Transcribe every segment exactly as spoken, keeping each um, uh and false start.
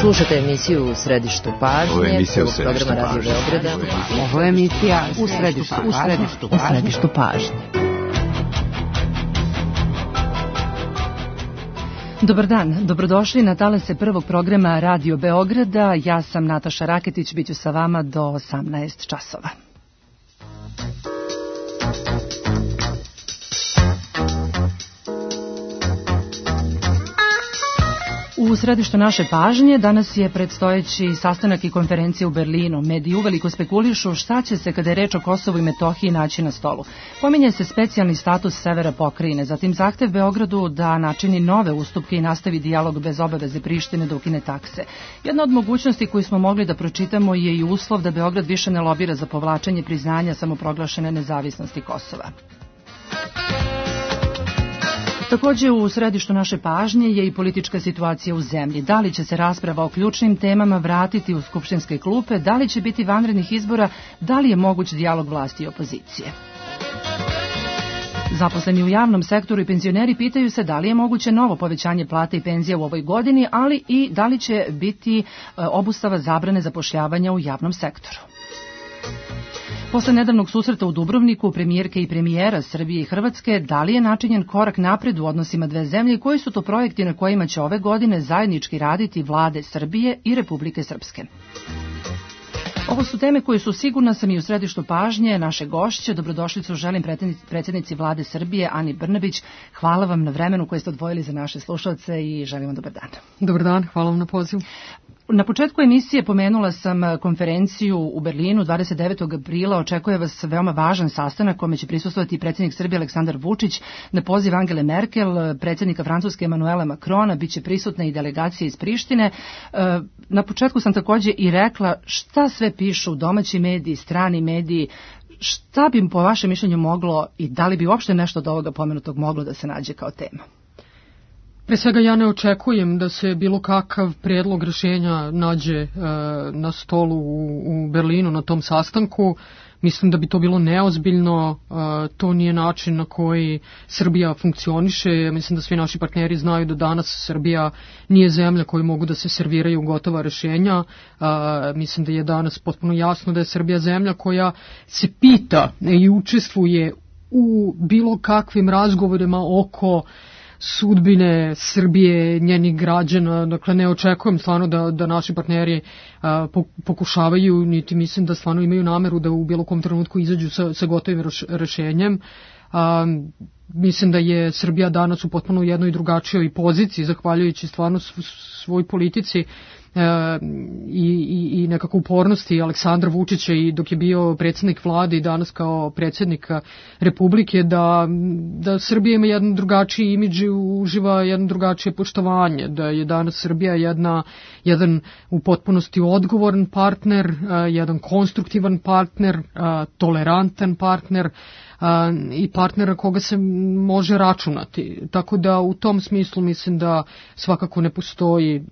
Slušate emisiju U središtu pažnje, Ovo je emisija U programa središtu Radio pažnje. Beograda. Ovo je emisija U središtu U središtu, u središtu pažnje. Dobar dan, dobrodošli na talase prvog programa Radio Beograda. Ja sam Nataša Raketić, bit ću sa vama do osamnaest časova. U središtu naše pažnje danas je predstojeći sastanak i konferencija u Berlinu. Mediji uveliko spekulišu šta će se kada je reč o Kosovu i Metohiji naći na stolu. Pominje se specijalni status severa pokrajine, zatim zahtev Beogradu da načini nove ustupke i nastavi dijalog bez obaveze Prištine da ukine takse. Jedna od mogućnosti koju smo mogli da pročitamo je i uslov da Beograd više ne lobira za povlačenje priznanja samoproglašene nezavisnosti Kosova. Također u središtu naše pažnje je i politička situacija u zemlji. Da li će se rasprava o ključnim temama vratiti u skupštinske klupe, da li će biti vanrednih izbora, da li je moguć dijalog vlasti i opozicije. Zaposleni u javnom sektoru i penzioneri pitaju se da li je moguće novo povećanje plata i penzija u ovoj godini, ali i da li će biti obustava zabrane zapošljavanja u javnom sektoru. Posle nedavnog susreta u Dubrovniku premijerke i premijera Srbije i Hrvatske, da li je načinjen korak napred u odnosima dve zemlje i koji su to projekti na kojima će ove godine zajednički raditi vlade Srbije i Republike Srpske? Ovo su teme koje su, sigurna sam, i u središtu pažnje naše gošće. Dobrodošlicu želim predsjednici vlade Srbije Ani Brnabić. Hvala vam na vremenu koje ste odvojili za naše slušalce i želim vam dobar dan. Dobar dan, hvala vam na pozivu. Na početku emisije pomenula sam konferenciju u Berlinu dvadeset devetog aprila. Očekuje vas veoma važan sastanak kome će prisustvovati predsjednik Srbije Aleksandar Vučić. Na poziv Angele Merkel, predsjednika Francuske Emanuela Macrona, bit će prisutna i delegacija iz Prištine. Na početku sam također i rekla šta sve pišu domaći mediji, strani mediji. Šta bi po vašem mišljenju moglo i da li bi uopšte nešto od ovoga pomenutog moglo da se nađe kao tema? Pre svega ja ne očekujem da se bilo kakav prijedlog rješenja nađe e, na stolu u, u Berlinu na tom sastanku. Mislim da bi to bilo neozbiljno, e, to nije način na koji Srbija funkcioniše. Mislim da svi naši partneri znaju da danas Srbija nije zemlja koji mogu da se serviraju gotova rješenja. E, mislim da je danas potpuno jasno da je Srbija zemlja koja se pita i učestvuje u bilo kakvim razgovorima oko sudbine Srbije, njenih građana. Dakle, ne očekujem stvarno da, da naši partneri a, pokušavaju, niti mislim da stvarno imaju nameru da u bilo kom trenutku izađu sa, sa gotovim rešenjem. A, mislim da je Srbija danas u potpuno jednoj drugačijoj poziciji, zahvaljujući stvarno svoj politici E, i, i, i nekako upornosti Aleksandra Vučića i dok je bio predsjednik vlade i danas kao predsjednik Republike, da, da Srbija ima jedan drugačiji imidž i uživa jedno drugačije poštovanje, da je danas Srbija jedna, jedan u potpunosti odgovoran partner, jedan konstruktivan partner, tolerantan partner i partnera koga se može računati. Tako da u tom smislu mislim da svakako ne postoji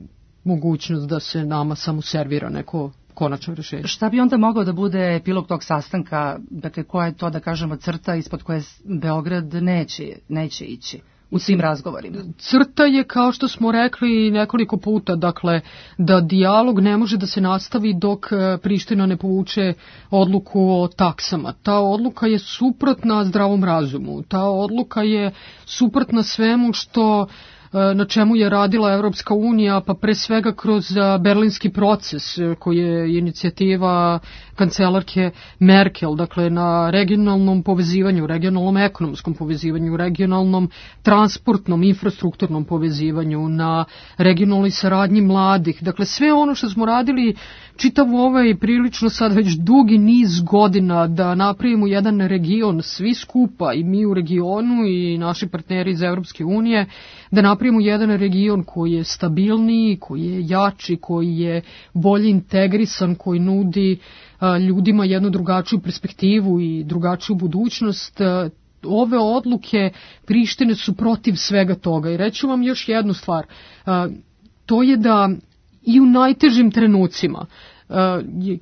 mogućnost da se nama samo servira neko konačno rješenje. Šta bi onda mogao da bude epilog tog sastanka? Dakle, koja je to, da kažemo, crta ispod koje Beograd neće, neće ići u svim razgovorima? Crta je, kao što smo rekli nekoliko puta, dakle, da dijalog ne može da se nastavi dok Priština ne povuče odluku o taksama. Ta odluka je suprotna zdravom razumu. Ta odluka je suprotna svemu što na čemu je radila Evropska unija, pa pre svega kroz berlinski proces koji je inicijativa kancelarke Merkel, dakle na regionalnom povezivanju, regionalnom ekonomskom povezivanju, regionalnom transportnom, infrastrukturnom povezivanju, na regionalnoj saradnji mladih. Dakle, sve ono što smo radili čitav ovaj prilično sad već dugi niz godina da napravimo jedan region svi skupa, i mi u regionu i naši partneri iz Evropske unije, da napravimo jedan region koji je stabilniji, koji je jači, koji je bolje integrisan, koji nudi a, ljudima jednu drugačiju perspektivu i drugačiju budućnost. A, ove odluke Prištine su protiv svega toga. I reću vam još jednu stvar, a, to je da i u najtežim trenucima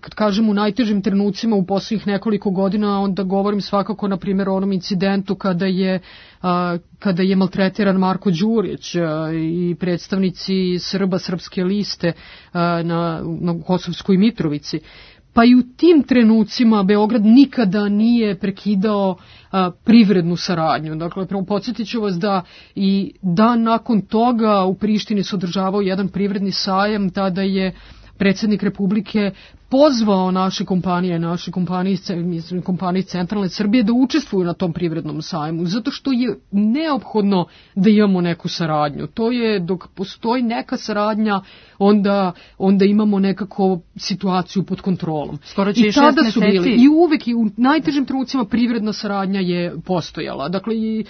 kad kažem u najtežim trenucima u posljednjih nekoliko godina, onda govorim svakako na primjer o onom incidentu kada je kada je maltretiran Marko Đurić i predstavnici Srba, Srpske liste na, na Kosovskoj Mitrovici. Pa i u tim trenucima Beograd nikada nije prekidao a, privrednu saradnju. Dakle, podsjetit ću vas da i dan nakon toga u Prištini se održavao jedan privredni sajam, tada je predsjednik Republike pozvao naše kompanije, naše kompanije, kompanije iz centralne Srbije da učestvuju na tom privrednom sajmu, zato što je neophodno da imamo neku saradnju. To je, dok postoji neka saradnja, onda, onda imamo nekako situaciju pod kontrolom. Skoro će i tada šest su meseci. bili, i uvek i u najtežim trenucima privredna saradnja je postojala. Dakle, i,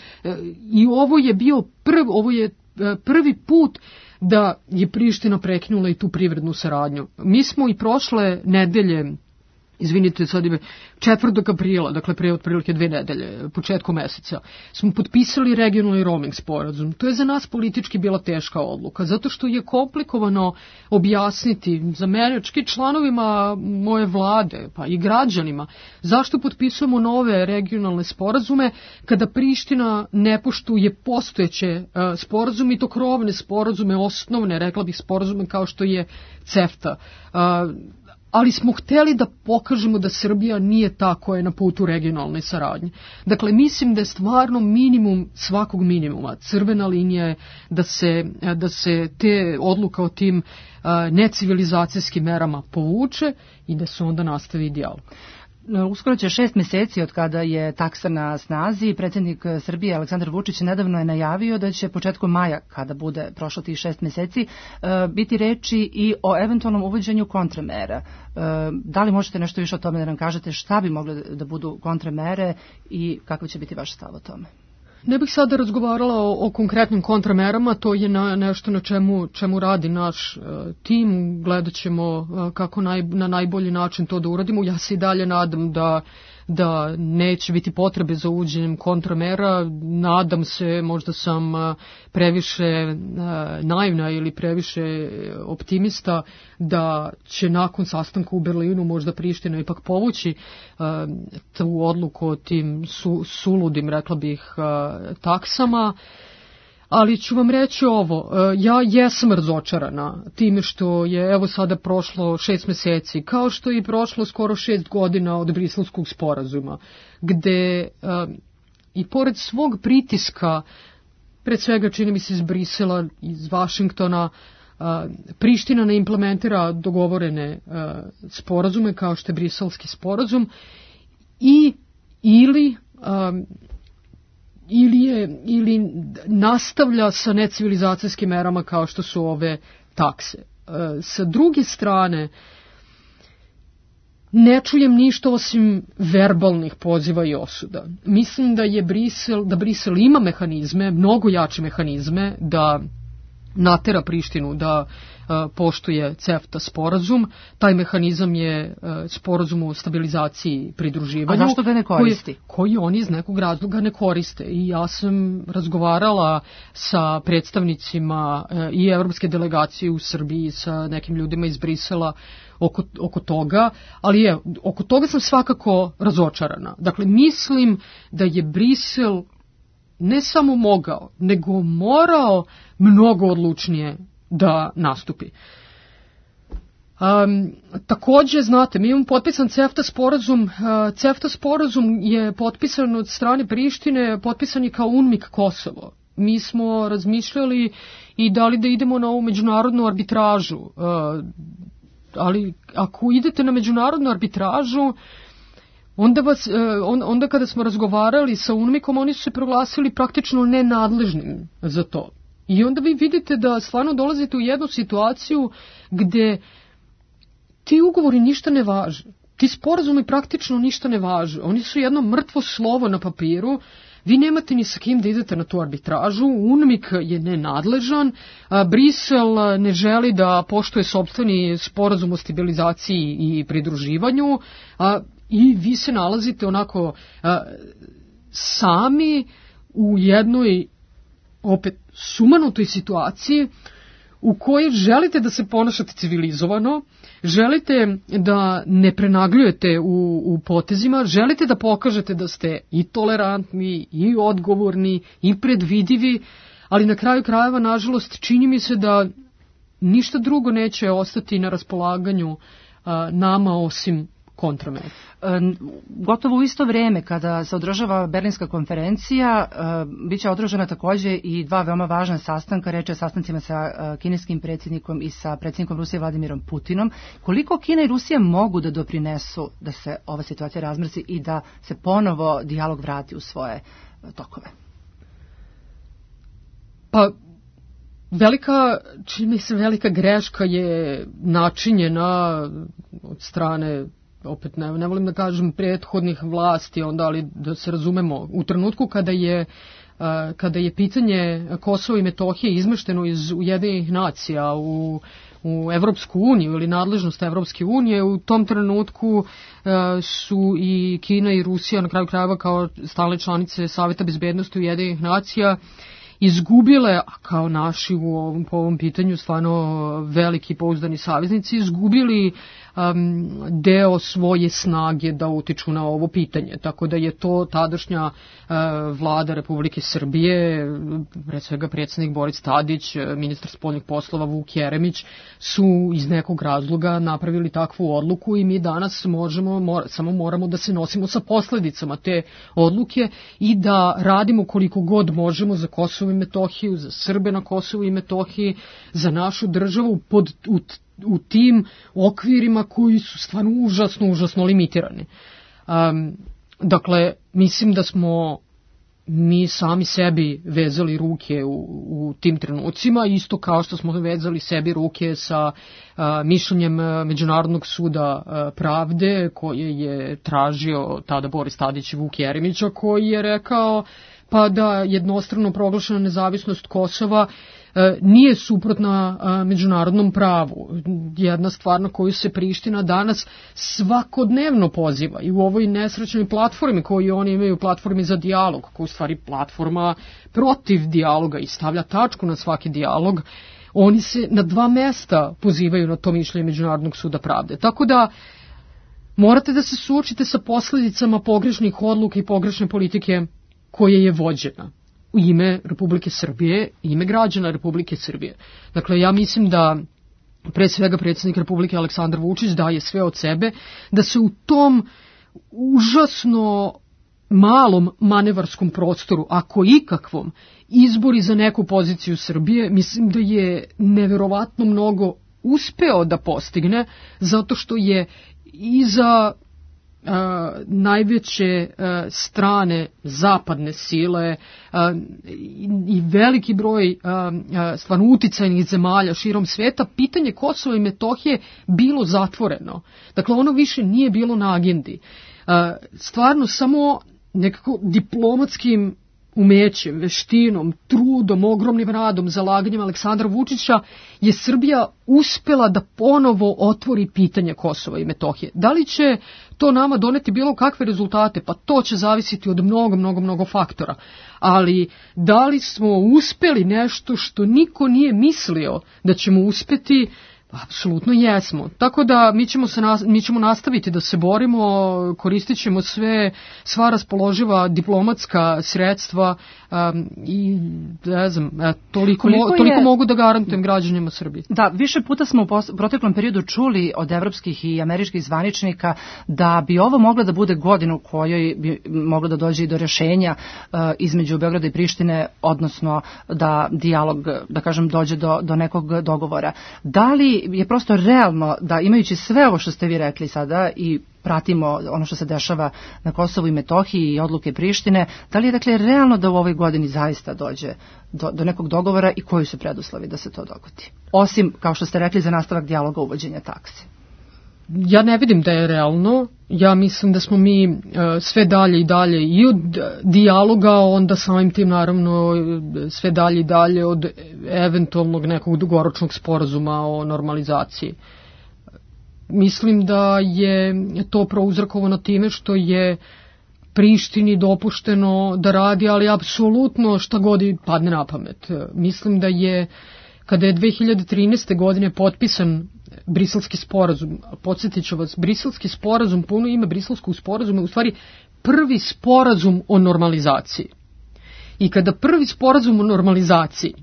i ovo je bio prv, ovo je prvi put da je Priština prekinula i tu privrednu saradnju. Mi smo i prošle nedelje, izvinite, sad ime, četvrtog aprila, dakle pre otprilike dve nedelje, početkom meseca, smo potpisali regionalni roaming sporazum. To je za nas politički bila teška odluka, zato što je komplikovano objasniti za mene, čak i članovima moje vlade, pa i građanima, zašto potpisujemo nove regionalne sporazume kada Priština ne poštuje postojeće uh, sporazume i to krovne sporazume, osnovne, rekla bih, sporazume kao što je CEFTA. Uh, ali smo hteli da pokažemo da Srbija nije ta koja je na putu regionalne saradnje. Dakle, mislim da je stvarno minimum svakog minimuma. Crvena linija je da se, da se te odluka o tim uh, necivilizacijskim merama povuče i da se onda nastavi dijalog. Uskoro će šest meseci od kada je taksa na snazi. Predsjednik Srbije Aleksandar Vučić nedavno je najavio da će početkom maja, kada bude prošlo tih šest meseci, biti reči i o eventualnom uvođenju kontramera. Da li možete nešto više o tome da nam kažete šta bi mogle da budu kontramere i kakav će biti vaš stav o tome? Ne bih sada razgovarala o, o konkretnim kontramerama, to je na, nešto na čemu, čemu radi naš uh, tim, gledat ćemo uh, kako naj, na najbolji način to da uradimo. Ja se i dalje nadam da, da neće biti potrebe za uvođenjem kontramera, nadam se, možda sam uh, previše uh, naivna ili previše optimista, da će nakon sastanka u Berlinu možda Priština ipak povući uh, tu odluku o tim su, suludim, rekla bih, uh, taksama, ali ću vam reći ovo, ja jesam razočarana time što je evo sada prošlo šest meseci, kao što je i prošlo skoro šest godina od Briselskog sporazuma, gde i pored svog pritiska, pred svega čini mi se iz Brisela, iz Vašingtona, Priština ne implementira dogovorene sporazume kao što je Briselski sporazum i ili ili je ili nastavlja sa necivilizacijskim merama kao što su ove takse. E, sa druge strane, ne čujem ništa osim verbalnih poziva i osuda. Mislim da je Brisel, da Brisel ima mehanizme, mnogo jače mehanizme da natera Prištinu da uh, poštuje CEFTA sporazum. Taj mehanizam je uh, sporazum o stabilizaciji i pridruživanju. A zašto ga ne koristi? Koji, koji oni iz nekog razloga ne koriste. I ja sam razgovarala sa predstavnicima uh, i evropske delegacije u Srbiji, sa nekim ljudima iz Brisela oko, oko toga, ali je, oko toga sam svakako razočarana. Dakle, mislim da je Brisel ne samo mogao, nego morao mnogo odlučnije da nastupi. Um, takođe, znate, mi imamo potpisan CEFTA sporazum. Uh, CEFTA sporazum je potpisan od strane Prištine, potpisan je kao UNMIK Kosovo. Mi smo razmišljali i da li da idemo na ovu međunarodnu arbitražu. Uh, ali ako idete na međunarodnu arbitražu, Onda, vas, onda kada smo razgovarali sa UNMIK-om, oni su se proglasili praktično nenadležnim za to. I onda vi vidite da stvarno dolazite u jednu situaciju gde ti ugovori ništa ne važe. Ti sporazumi praktično ništa ne važe. Oni su jedno mrtvo slovo na papiru. Vi nemate ni sa kim da idete na tu arbitražu. UNMIK je nenadležan. Brisel ne želi da poštuje sopstveni sporazum o stabilizaciji i pridruživanju. I vi se nalazite onako a, sami u jednoj opet sumanutoj situaciji u kojoj želite da se ponašate civilizovano, želite da ne prenagljujete u, u potezima, želite da pokažete da ste i tolerantni, i odgovorni, i predvidivi, ali na kraju krajeva, nažalost, čini mi se da ništa drugo neće ostati na raspolaganju a, nama osim kontramera. Gotovo u isto vreme kada se održava Berlinska konferencija, bit će održana takođe i dva veoma važna sastanka, reč je sastancima sa kineskim predsjednikom i sa predsjednikom Rusije Vladimirom Putinom. Koliko Kina i Rusija mogu da doprinesu da se ova situacija razmrsi i da se ponovo dijalog vrati u svoje tokove? Pa, velika, čini mi se, velika greška je načinjena od strane, opet ne, ne volim da kažem prethodnih vlasti, onda, ali da se razumemo, u trenutku kada je, kada je pitanje Kosova i Metohije izmešteno iz Ujedinjenih nacija u, u Evropsku uniju ili nadležnost Evropske unije, u tom trenutku su i Kina i Rusija, na kraju krajeva kao stalne članice Saveta bezbednosti Ujedinjenih nacija, izgubile, a kao naši u ovom, po ovom pitanju stvarno veliki pouzdani saveznici, izgubili um, deo svoje snage da utiču na ovo pitanje. Tako da je to tadašnja uh, vlada Republike Srbije, pre svega predsjednik Boris Tadić, ministar spoljnih poslova Vuk Jeremić, su iz nekog razloga napravili takvu odluku i mi danas možemo, mor, samo moramo da se nosimo sa posledicama te odluke i da radimo koliko god možemo za Kosovo i Metohiju, za Srbe na Kosovu i Metohiji, za našu državu pod, u, u tim okvirima koji su stvarno užasno, užasno limitirani. Um, dakle, mislim da smo mi sami sebi vezali ruke u, u tim trenucima, isto kao što smo vezali sebi ruke sa a, mišljenjem Međunarodnog suda a, pravde koje je tražio tada Boris Tadić i Vuk Jeremića, koji je rekao pa da jednostrano proglašena nezavisnost Kosova e, nije suprotna a, međunarodnom pravu. Jedna stvar na koju se Priština danas svakodnevno poziva i u ovoj nesrećnoj platformi koju oni imaju, platformi za dijalog, koja je u stvari platforma protiv dijaloga i stavlja tačku na svaki dijalog, oni se na dva mesta pozivaju na to mišljenje Međunarodnog suda pravde. Tako da morate da se suočite sa posledicama pogrešnih odluka i pogrešne politike koja je vođena u ime Republike Srbije, ime građana Republike Srbije. Dakle, ja mislim da pre svega predsjednik Republike Aleksandar Vučić daje sve od sebe, da se u tom užasno malom manevarskom prostoru, ako ikakvom, izbori za neku poziciju Srbije, mislim da je neverovatno mnogo uspeo da postigne, zato što je iza Uh, najveće uh, strane zapadne sile uh, i, i veliki broj uh, uh, stvarno uticajnih zemalja širom sveta, pitanje Kosova i Metohije bilo zatvoreno. Dakle, ono više nije bilo na agendi. Uh, stvarno samo nekako diplomatskim umećem, veštinom, trudom, ogromnim radom, zalaganjem Aleksandra Vučića je Srbija uspela da ponovo otvori pitanje Kosova i Metohije. Da li će to nama doneti bilo kakve rezultate? Pa to će zavisiti od mnogo, mnogo, mnogo faktora. Ali da li smo uspeli nešto što niko nije mislio da ćemo uspeti? Apsolutno jesmo. Tako da mi ćemo, se, mi ćemo nastaviti da se borimo, koristit ćemo sve, sva raspoloživa diplomatska sredstva um, i ne znam, toliko, mo, toliko je, mogu da garantujem građanima Srbije. Da, više puta smo u proteklom periodu čuli od evropskih i američkih zvaničnika da bi ovo mogla da bude godina u kojoj bi moglo da dođe i do rješenja uh, između Beograda i Prištine, odnosno da dijalog, da kažem, dođe do, do nekog dogovora. Da li je prosto realno da, imajući sve ovo što ste vi rekli sada i pratimo ono što se dešava na Kosovu i Metohiji i odluke Prištine, da li je dakle realno da u ovoj godini zaista dođe do, do nekog dogovora i koji su preduslovi da se to dogodi? Osim, kao što ste rekli, za nastavak dijaloga uvođenja takse. Ja ne vidim da je realno. Ja mislim da smo mi uh, sve dalje i dalje i od dijaloga, onda samim tim naravno sve dalje i dalje od eventualnog nekog dugoročnog sporazuma o normalizaciji. Mislim da je to prouzrokovano time što je Prištini dopušteno da radi, ali apsolutno šta god padne na pamet. Mislim da je kada je dve hiljade trinaeste. godine potpisan Briselski sporazum. Podsjetit ću vas, Briselski sporazum, puno ime Briselskog sporazuma je u stvari prvi sporazum o normalizaciji. I kada prvi sporazum o normalizaciji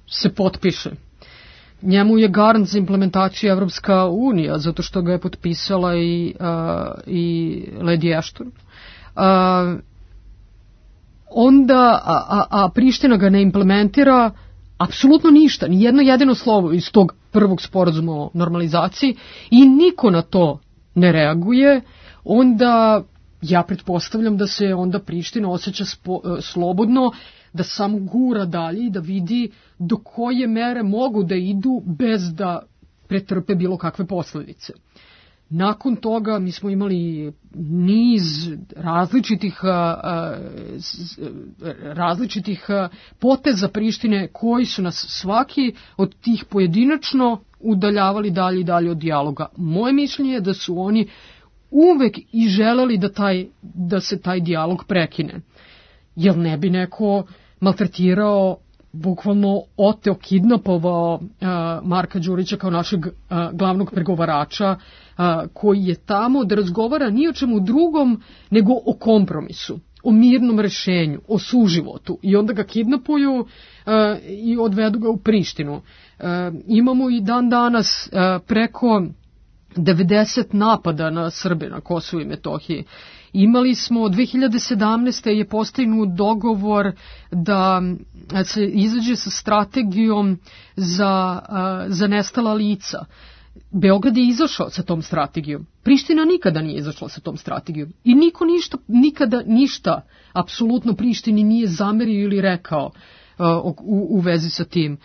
se potpiše, njemu je garant za implementaciju Evropska unija, zato što ga je potpisala i, uh, i Lady Ashton. Uh, onda, a, a, a Priština ga ne implementira apsolutno ništa, ni jedno jedino slovo iz tog prvog sporazuma o normalizaciji i niko na to ne reaguje, onda ja pretpostavljam da se onda Priština osjeća spo, slobodno, da samo gura dalje i da vidi do koje mere mogu da idu bez da pretrpe bilo kakve posledice. Nakon toga mi smo imali niz različitih, različitih poteza Prištine koji su nas svaki od tih pojedinačno udaljavali dalje i dalje od dijaloga. Moje mišljenje je da su oni uvek i želeli da, taj, da se taj dijalog prekine. Jer ne bi neko maltretirao, bukvalno oteo, kidnapovao uh, Marka Đurića kao našeg uh, glavnog pregovarača uh, koji je tamo da razgovara ni o čemu drugom nego o kompromisu, o mirnom rešenju, o suživotu i onda ga kidnapuju uh, i odvedu ga u Prištinu. Uh, imamo i dan danas uh, preko devedeset napada na Srbe na Kosovu i Metohiji. Imali smo, dve hiljade sedamnaeste. je postignut dogovor da se izađe sa strategijom za, za nestala lica. Beograd je izašao sa tom strategijom. Priština nikada nije izašla sa tom strategijom. I niko ništa, nikada ništa, apsolutno Prištini nije zamerio ili rekao u, u vezi sa tim.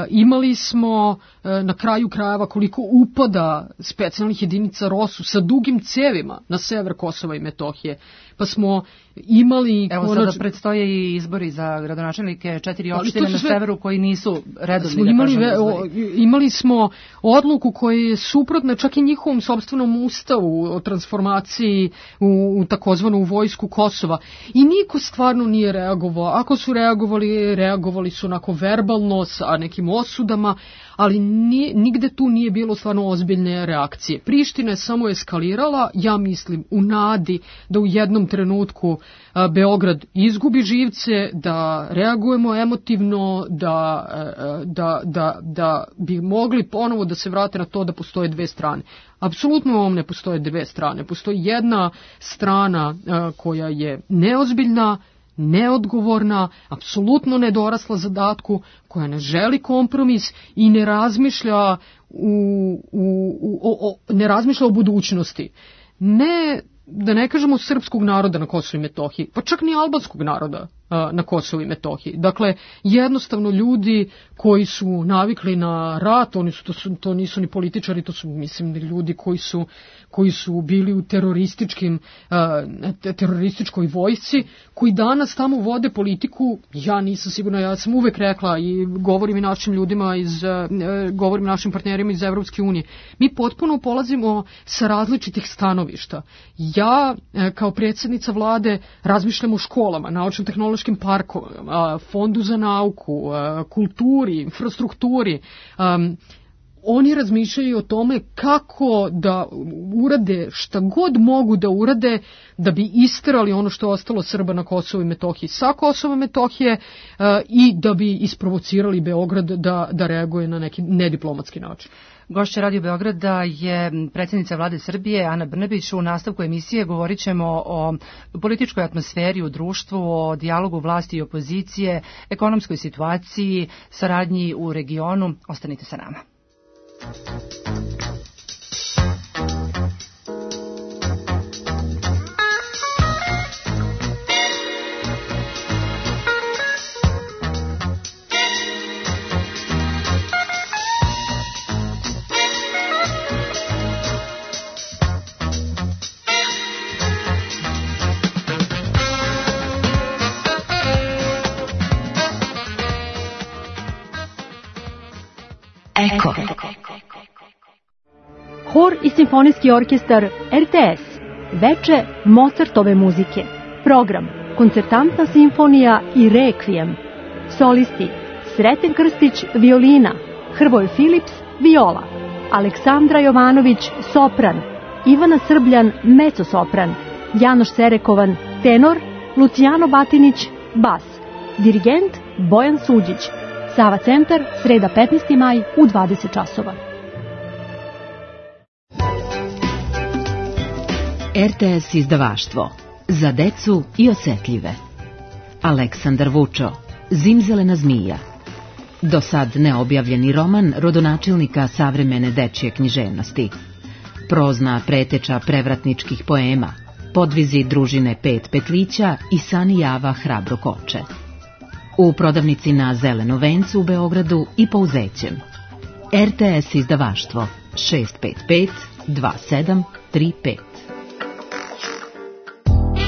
Imali smo na kraju krajeva koliko upada specijalnih jedinica ROSU sa dugim cevima na sever Kosova i Metohije. Pa smo imali... Evo konač... sada predstoje i izbori za gradonačelnike četiri opštine na sve... severu koji nisu redovni, da imali, kažem, izbori. Imali smo odluku koja je suprotna čak i njihovom sopstvenom ustavu o transformaciji u, u takozvanu vojsku Kosova. I niko stvarno nije reagovao. Ako su reagovali, reagovali su onako verbalno sa nekim osudama, ali nije, nigde tu nije bilo stvarno ozbiljne reakcije. Priština je samo eskalirala, ja mislim, u nadi da u jednom trenutku a, Beograd izgubi živce, da reagujemo emotivno, da, a, da, da, da bi mogli ponovo da se vrate na to da postoje dve strane. Apsolutno ovom ne postoje dve strane. Postoji jedna strana a, koja je neozbiljna, neodgovorna, apsolutno nedorasla zadatku, koja ne želi kompromis i ne razmišlja u, u, u, o, ne razmišlja o budućnosti. Ne, da ne kažemo srpskog naroda na Kosovu i Metohiji, pa čak ni albanskog naroda a, na Kosovu i Metohiji. Dakle, jednostavno ljudi koji su navikli na rat, oni su, to, su, to nisu ni političari, to su, mislim, ljudi koji su, koji su bili u terorističkim, a, terorističkoj vojsci, koji danas tamo vode politiku. Ja nisam sigurna, ja sam uvek rekla i govorim i našim ljudima iz, a, govorim našim partnerima iz Evropske unije. Mi potpuno polazimo sa različitih stanovišta. Ja, kao predsjednica vlade, razmišljam o školama, naučno-tehnološkim parkovima, fondu za nauku, kulturi, infrastrukturi. Um, oni razmišljaju o tome kako da urade šta god mogu da urade da bi isterali ono što je ostalo Srba na Kosovu i Metohiji sa Kosova i Metohije uh, i da bi isprovocirali Beograd da, da reaguje na neki nediplomatski način. Gošća Radio Beograda je predsjednica vlade Srbije Ana Brnabić. U nastavku emisije govorit ćemo o političkoj atmosferi u društvu, o dijalogu vlasti i opozicije, ekonomskoj situaciji, saradnji u regionu. Ostanite sa nama. Eko. Hor i simfonijski orkestar R T S. Veče Mozartove muzike. Program Koncertantna simfonija i Rekvijem. Solisti Sreten Krstić violina, Hrvoje Filips, viola, Aleksandra Jovanović, sopran, Ivana Srbljan, mecosopran, Janoš Serekovan, tenor, Lucijano Batinić, bas, dirigent Bojan Suđić. Sava centar, sreda petnaesti maj u dvadeset časova. R T S izdavaštvo za decu i osetljive. Aleksandar Vučo, Zimzelena zmija. Do sad neobjavljeni roman rodonačelnika savremene dečje književnosti. Prozna preteča prevratničkih poema, podvizi družine Pet petlića i Sani Java hrabro koče. U prodavnici na Zeleno vencu u Beogradu i po Uzećem. R T S izdavaštvo šest pet pet dva sedam tri pet.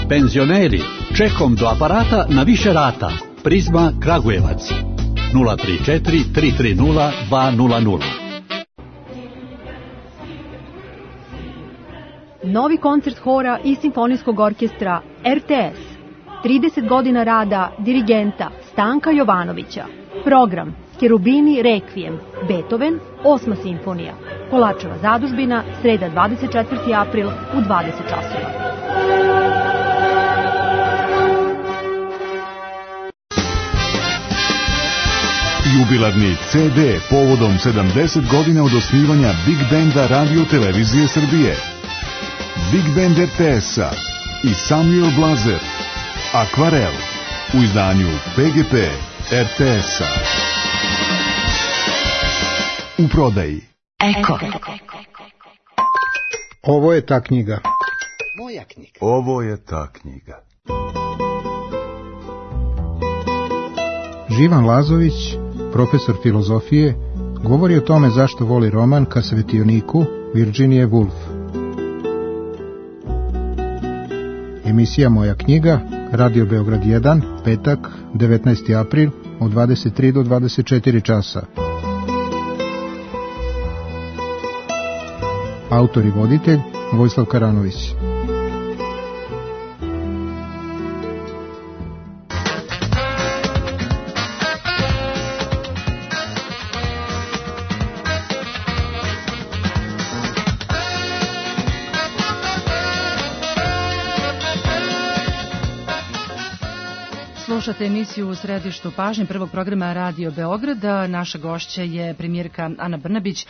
Penzioneri, čekom do aparata na više rata. Prizma Kragujevac nula tri četiri tri tri nula dva nula nula. Novi koncert hora i simfonijskog orkestra R T S. trideset godina rada dirigenta Stanka Jovanovića. Program Cherubini Requiem, Beethoven, osma simfonija. Kolačeva zadužbina, sreda dvadeset četvrti april u dvadeset časova. Jubilarni C D povodom sedamdeset godina od osnivanja Big Benda Radio Televizije Srbije. Big Band R T S-a i Samuel Blazer. Akvarel u izdanju P G P R T S-a. U prodaji. Eko. Ovo je ta knjiga. Moja knjiga. Ovo je ta knjiga. Živan Lazović, profesor filozofije, govori o tome zašto voli roman Ka svetioniku Virginije Woolf. Emisija Moja knjiga, Radio Beograd jedan, petak, devetnaesti april, od dvadeset tri do dvadeset četiri časa. Autor i voditelj Vojislav Karanović. Slušate emisiju U središtu pažnje prvog programa Radio Beograda. Naša gošća je premijerka Ana Brnabić.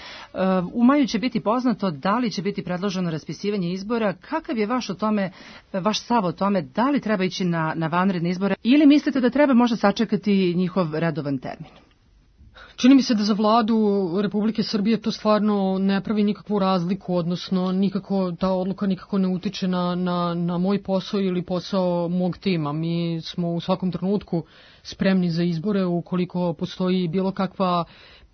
U maju će biti poznato da li će biti predloženo raspisivanje izbora. Kakav je vaš, o tome, vaš stav o tome da li treba ići na, na vanredne izbore ili mislite da treba možda sačekati njihov redovan termin? Čini mi se da za vladu Republike Srbije to stvarno ne pravi nikakvu razliku, odnosno nikako, ta odluka nikako ne utiče na, na, na moj posao ili posao mog tima. Mi smo u svakom trenutku spremni za izbore ukoliko postoji bilo kakva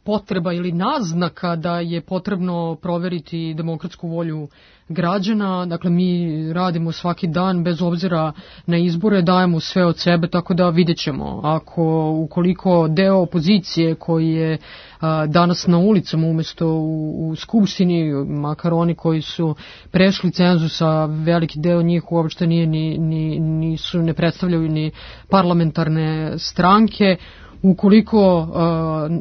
potreba ili naznaka da je potrebno proveriti demokratsku volju građana. Dakle, mi radimo svaki dan bez obzira na izbore, dajemo sve od sebe, tako da vidjet ćemo. Ako, ukoliko deo opozicije koji je a, danas na ulicama umjesto u, u skupštini, makar oni koji su prešli cenzus, a veliki deo njih uopšte nije ni, ni, nisu, ne predstavljaju ni parlamentarne stranke, ukoliko uh,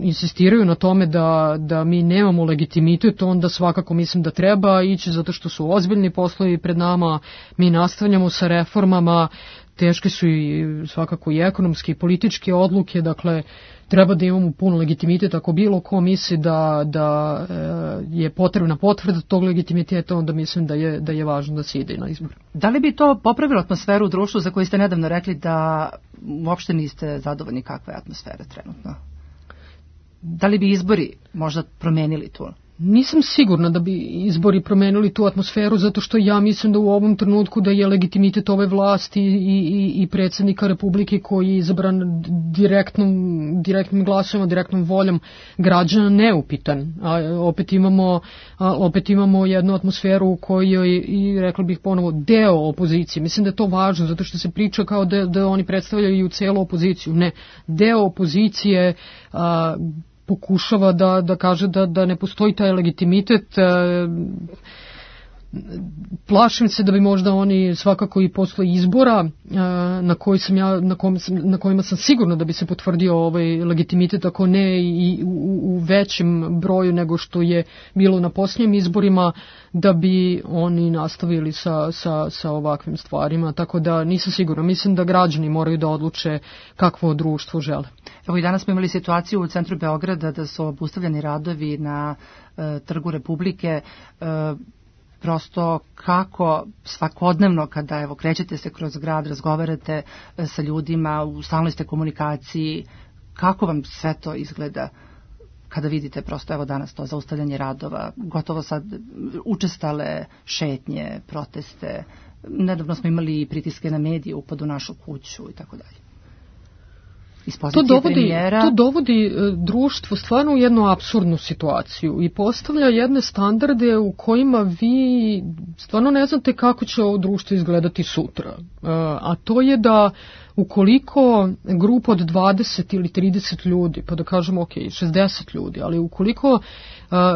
insistiraju na tome da, da mi nemamo legitimitet, onda svakako mislim da treba ići zato što su ozbiljni poslovi pred nama, mi nastavljamo sa reformama, teške su i svakako i ekonomske i političke odluke, dakle treba da imamo puno legitimitet. Ako bilo ko misli da, da je potrebna potvrda tog legitimiteta, onda mislim da je, da je važno da se ide na izbor. Da li bi to popravilo atmosferu u društvu za koju ste nedavno rekli da uopšte niste zadovoljni kakva je atmosfera trenutno? Da li bi izbori možda promenili tu? Nisam sigurna da bi izbori promenili tu atmosferu, zato što ja mislim da u ovom trenutku da je legitimitet ove vlasti i, i, i predsjednika Republike koji je izabran direktnom, direktnim glasovima, direktnom voljom građana neupitan. A opet imamo, a, opet imamo jednu atmosferu u kojoj i rekla bih ponovo deo opozicije. Mislim da je to važno zato što se priča kao da, da oni predstavljaju celu opoziciju. Ne, deo opozicije a, pokušava da, da kaže da, da ne postoji taj legitimitet. plašim se da bi možda oni svakako i posle izbora na koji sam ja na, kom sam, na kojima sam sigurno da bi se potvrdio ovaj legitimitet, ako ne i u, u većem broju nego što je bilo na posljednjim izborima, da bi oni nastavili sa, sa, sa ovakvim stvarima, tako da nisam sigurna. Mislim da građani moraju da odluče kakvo društvo žele. Evo i danas smo imali situaciju u centru Beograda da su obustavljeni radovi na e, Trgu Republike. E, prosto kako svakodnevno kada evo krećete se kroz grad, razgovarate e, sa ljudima, u stalnoj ste komunikaciji, kako vam sve to izgleda kada vidite prosto evo danas to zaustavljanje radova, gotovo sad učestale šetnje, proteste, nedavno smo imali pritiske na medije, upad u našu kuću i tako dalje. To dovodi, to dovodi društvo stvarno u jednu apsurdnu situaciju i postavlja jedne standarde u kojima vi stvarno ne znate kako će ovo društvo izgledati sutra. A to je da ukoliko grupa od dvadeset ili trideset ljudi, pa da kažemo ok, šezdeset ljudi, ali ukoliko uh,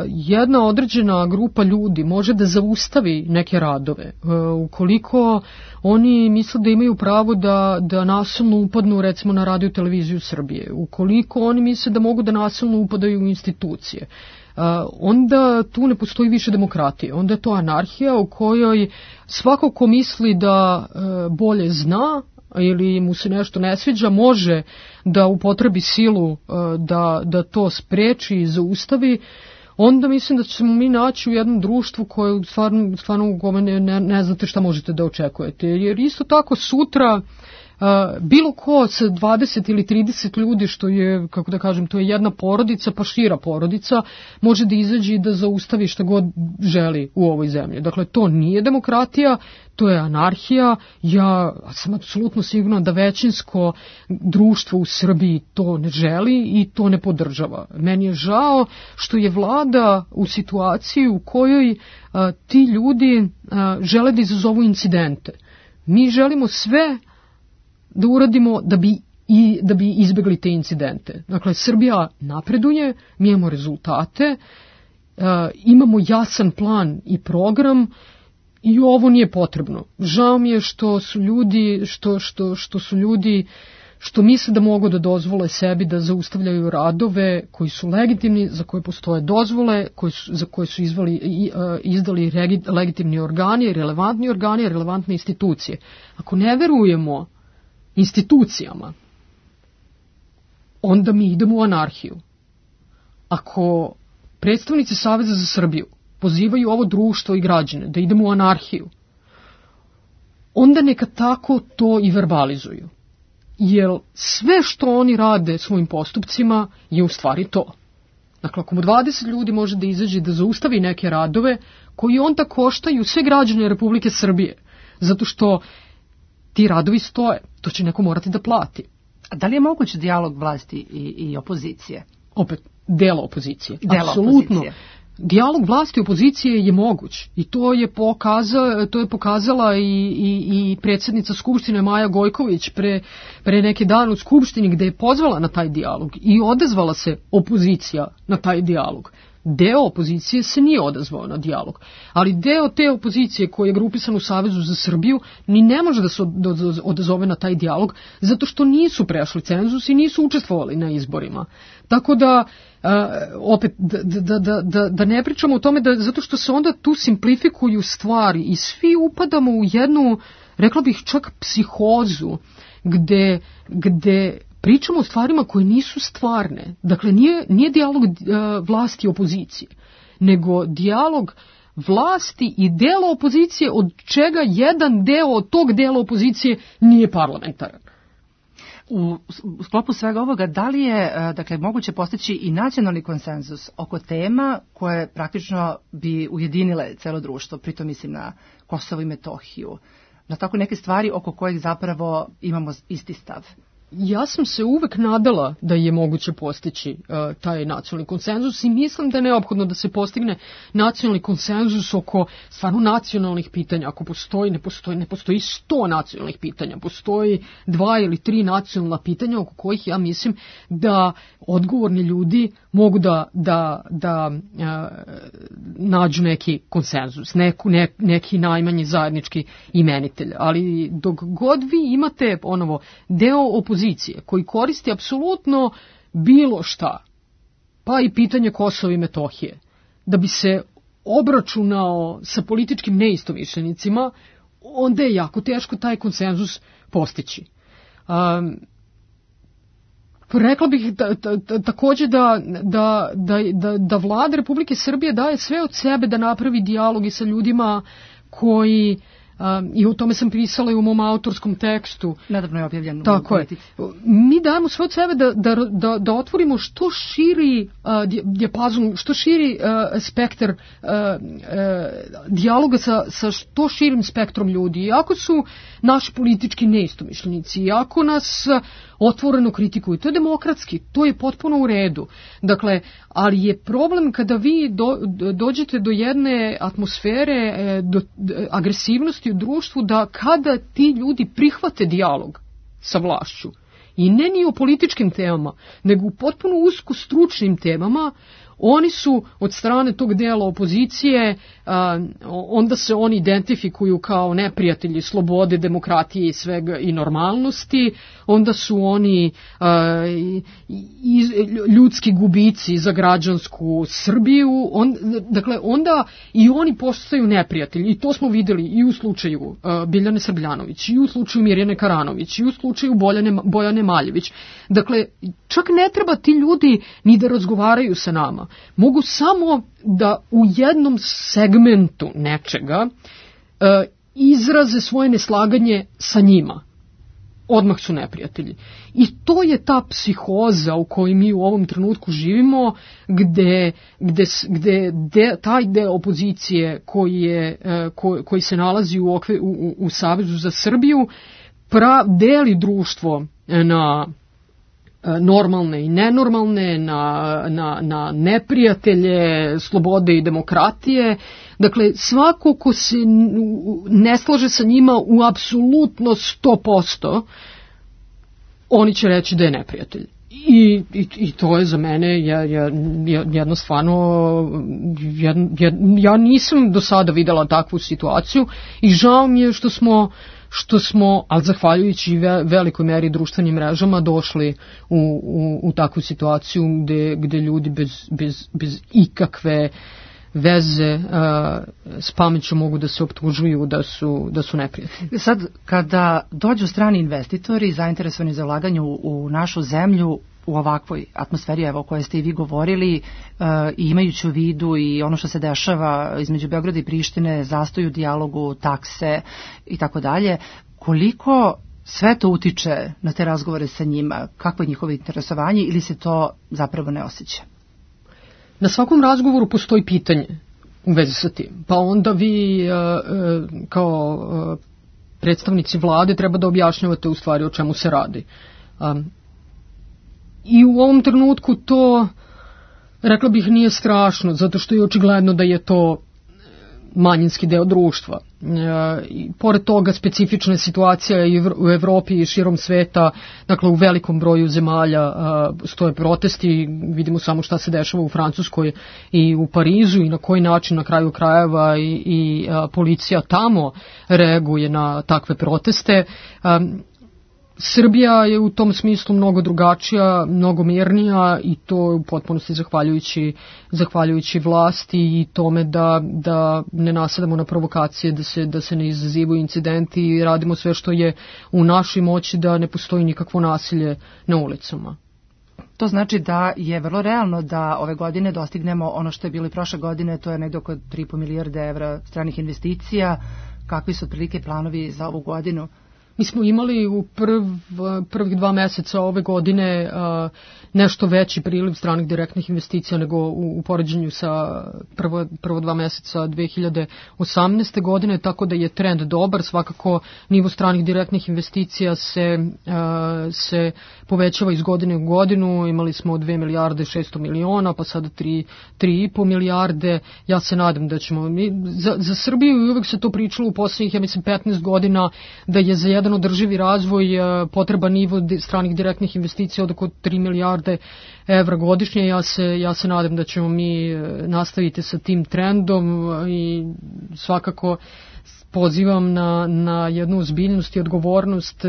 jedna određena grupa ljudi može da zaustavi neke radove, uh, ukoliko oni misle da imaju pravo da, da nasilno upadnu recimo na radio televiziju Srbije, ukoliko oni misle da mogu da nasilno upadaju u institucije, Uh, onda tu ne postoji više demokratije, onda je to anarhija u kojoj svako ko misli da uh, bolje zna ili mu se nešto ne sviđa, može da upotrebi silu uh, da, da to spreči i zaustavi, onda mislim da ćemo mi naći u jednom društvu koje stvarno, stvarno u kome ne, ne, ne znate šta možete da očekujete. Jer isto tako sutra Uh, bilo ko sa dvadeset ili trideset ljudi, što je, kako da kažem, to je jedna porodica, pa šira porodica, može da izađe i da zaustavi šta god želi u ovoj zemlji. Dakle, to nije demokratija, to je anarhija. Ja sam apsolutno sigurna da većinsko društvo u Srbiji to ne želi i to ne podržava. Meni je žao što je vlada u situaciji u kojoj uh, ti ljudi uh, žele da izazovu incidente. Mi želimo sve da uradimo da bi i da bi izbegli te incidente. Dakle, Srbija napreduje, mi imamo rezultate, uh, imamo jasan plan i program i ovo nije potrebno. Žao mi je što su ljudi, što, što, što su ljudi što misle da mogu da dozvole sebi da zaustavljaju radove koji su legitimni, za koje postoje dozvole, koji su, za koje su izvali, i, uh, izdali regi, legitimni organi, relevantni organi, relevantne institucije. Ako ne verujemo institucijama, onda mi idemo u anarhiju. Ako predstavnici Saveza za Srbiju pozivaju ovo društvo i građane da idemo u anarhiju, onda neka tako to i verbalizuju. Jer sve što oni rade svojim postupcima je u stvari to. Dakle, ako mu dvadeset ljudi može da izađe da zaustavi neke radove koji onda koštaju sve građane Republike Srbije, zato što ti radovi stoje, to će neko morati da plati. A da li je moguć dijalog vlasti i, i opozicije? Opet, delo opozicije. Delo apsolutno. Opozicije. Dijalog vlasti i opozicije je moguć i to je, pokaza, to je pokazala i, i, i predsjednica Skupštine Maja Gojković pre, pre neke dane u Skupštini, gde je pozvala na taj dijalog i odazvala se opozicija na taj dijalog. Deo opozicije se nije odazvao na dijalog, ali deo te opozicije koji je grupisan u Savezu za Srbiju ni ne može da se odazove na taj dijalog zato što nisu prešli cenzus i nisu učestvovali na izborima. Tako da, uh, opet, da, da, da, da, da ne pričamo o tome, da, zato što se onda tu simplifikuju stvari i svi upadamo u jednu, rekla bih čak psihozu, gde, gde pričamo o stvarima koje nisu stvarne. Dakle, nije, nije dijalog uh, vlasti i opozicije, nego dijalog vlasti i dela opozicije, od čega jedan deo od tog dela opozicije nije parlamentaran. U sklopu svega ovoga, da li je dakle, moguće postići i nacionalni konsenzus oko tema koje praktično bi ujedinile celo društvo, pritom mislim na Kosovo i Metohiju, na tako neke stvari oko kojih zapravo imamo isti stav? ja sam se uvek nadala da je moguće postići uh, taj nacionalni konsenzus i mislim da je neophodno da se postigne nacionalni konsenzus oko stvarno nacionalnih pitanja. Ako postoji, ne postoji, ne postoji sto nacionalnih pitanja, postoji dva ili tri nacionalna pitanja oko kojih ja mislim da odgovorni ljudi mogu da, da, da uh, nađu neki konsenzus, neku, ne, neki najmanji zajednički imenitelj. Ali dok god vi imate ponovo deo opozicije koji koristi apsolutno bilo šta, pa i pitanje Kosova i Metohije, da bi se obračunao sa političkim neistomišljenicima, onda je jako teško taj konsenzus postići. Um, Rekla bih da, da, da, takođe da, da, da, da, da vlada Republike Srbije daje sve od sebe da napravi dijalog i sa ljudima koji, um, i o tome sam pisala i u mom autorskom tekstu. Nedavno je objavljeno. Tako je. Mi dajemo sve od sebe da, da, da, da otvorimo što širi uh, dijapazon, što širi uh, spektar uh, uh, dijaloga sa, sa što širim spektrom ljudi. Iako su naši politički neistomišljenici, iako nas uh, otvoreno kritikuju, to je demokratski, to je potpuno u redu. Dakle, ali je problem kada vi do, dođete do jedne atmosfere, do, do agresivnosti u društvu, da kada ti ljudi prihvate dijalog sa vlašću, i ne ni o političkim temama, nego u potpuno usko stručnim temama, oni su od strane tog dela opozicije, a, onda se oni identifikuju kao neprijatelji slobode, demokratije i svega i normalnosti, onda su oni a, i, ljudski gubici za građansku Srbiju, on, dakle onda i oni postaju neprijatelji i to smo videli i u slučaju a, Biljane Srbljanović, i u slučaju Mirjane Karanović, i u slučaju Bojane, Bojane Maljević. Dakle, čak ne treba ti ljudi ni da razgovaraju sa nama. Mogu samo da u jednom segmentu nečega e, izraze svoje neslaganje sa njima. Odmah su neprijatelji. I to je ta psihoza u kojoj mi u ovom trenutku živimo, gde, gde, gde de, taj deo opozicije koji, je, e, ko, koji se nalazi u, okve, u, u, u Savezu za Srbiju pra, deli društvo na normalne i nenormalne, na, na, na neprijatelje slobode i demokratije. Dakle, svako ko se ne slaže sa njima u apsolutno sto posto, oni će reći da je neprijatelj. I, i, i to je za mene ja, ja, jedno stvarno, jed, jed, ja nisam do sada videla takvu situaciju i žao mi je što smo što smo, ali zahvaljujući velikoj meri društvenim mrežama, došli u, u, u takvu situaciju gde, gde ljudi bez, bez, bez ikakve veze uh, s pameću mogu da se optužuju da su, da su neprijatelji. Sad, kada dođu strani investitori zainteresovani za ulaganje u, u našu zemlju, u ovakvoj atmosferi, evo, o kojoj ste i vi govorili, uh, i imajući u vidu i ono što se dešava između Beograda i Prištine, zastoj u dijalogu, takse i tako dalje, koliko sve to utiče na te razgovore sa njima, kakvo je njihovo interesovanje ili se to zapravo ne osjeća? Na svakom razgovoru postoji pitanje u vezi sa tim, pa onda vi uh, uh, kao uh, predstavnici vlade treba da objašnjavate u stvari o čemu se radi. Um, I u ovom trenutku to, rekla bih, nije strašno, zato što je očigledno da je to manjinski deo društva. E, i pored toga specifična situacija i u Evropi i širom sveta, dakle u velikom broju zemalja a, stoje protesti, vidimo samo šta se dešava u Francuskoj i u Parizu i na koji način na kraju krajeva i, i a, policija tamo reaguje na takve proteste. A, Srbija je u tom smislu mnogo drugačija, mnogo mirnija i to u potpunosti zahvaljujući, zahvaljujući vlasti i tome da, da ne nasedamo na provokacije, da se, da se ne izazivaju incidenti i radimo sve što je u našoj moći da ne postoji nikakvo nasilje na ulicama. To znači da je vrlo realno da ove godine dostignemo ono što je bilo i prošle godine, to je negdje oko tri i po milijarde evra stranih investicija. Kakvi su otprilike planovi za ovu godinu? Mi smo imali u prv, prvih dva meseca ove godine uh, nešto veći priliv stranih direktnih investicija nego u, u poređenju sa prvo, prvo dva meseca dve hiljade osamnaeste. godine, tako da je trend dobar. Svakako nivo stranih direktnih investicija se, uh, se povećava iz godine u godinu. Imali smo dve milijarde šesto miliona, pa sada tri, tri i po milijarde. Ja se nadam da ćemo... Mi, za, za Srbiju uvek se to pričalo u poslednjih, ja mislim, petnaest godina, da je za jedan održivi razvoj potreban nivo stranih direktnih investicija od oko tri milijarde evra godišnje. Ja se, ja se nadam da ćemo mi nastaviti sa tim trendom i svakako pozivam na, na jednu ozbiljnost i odgovornost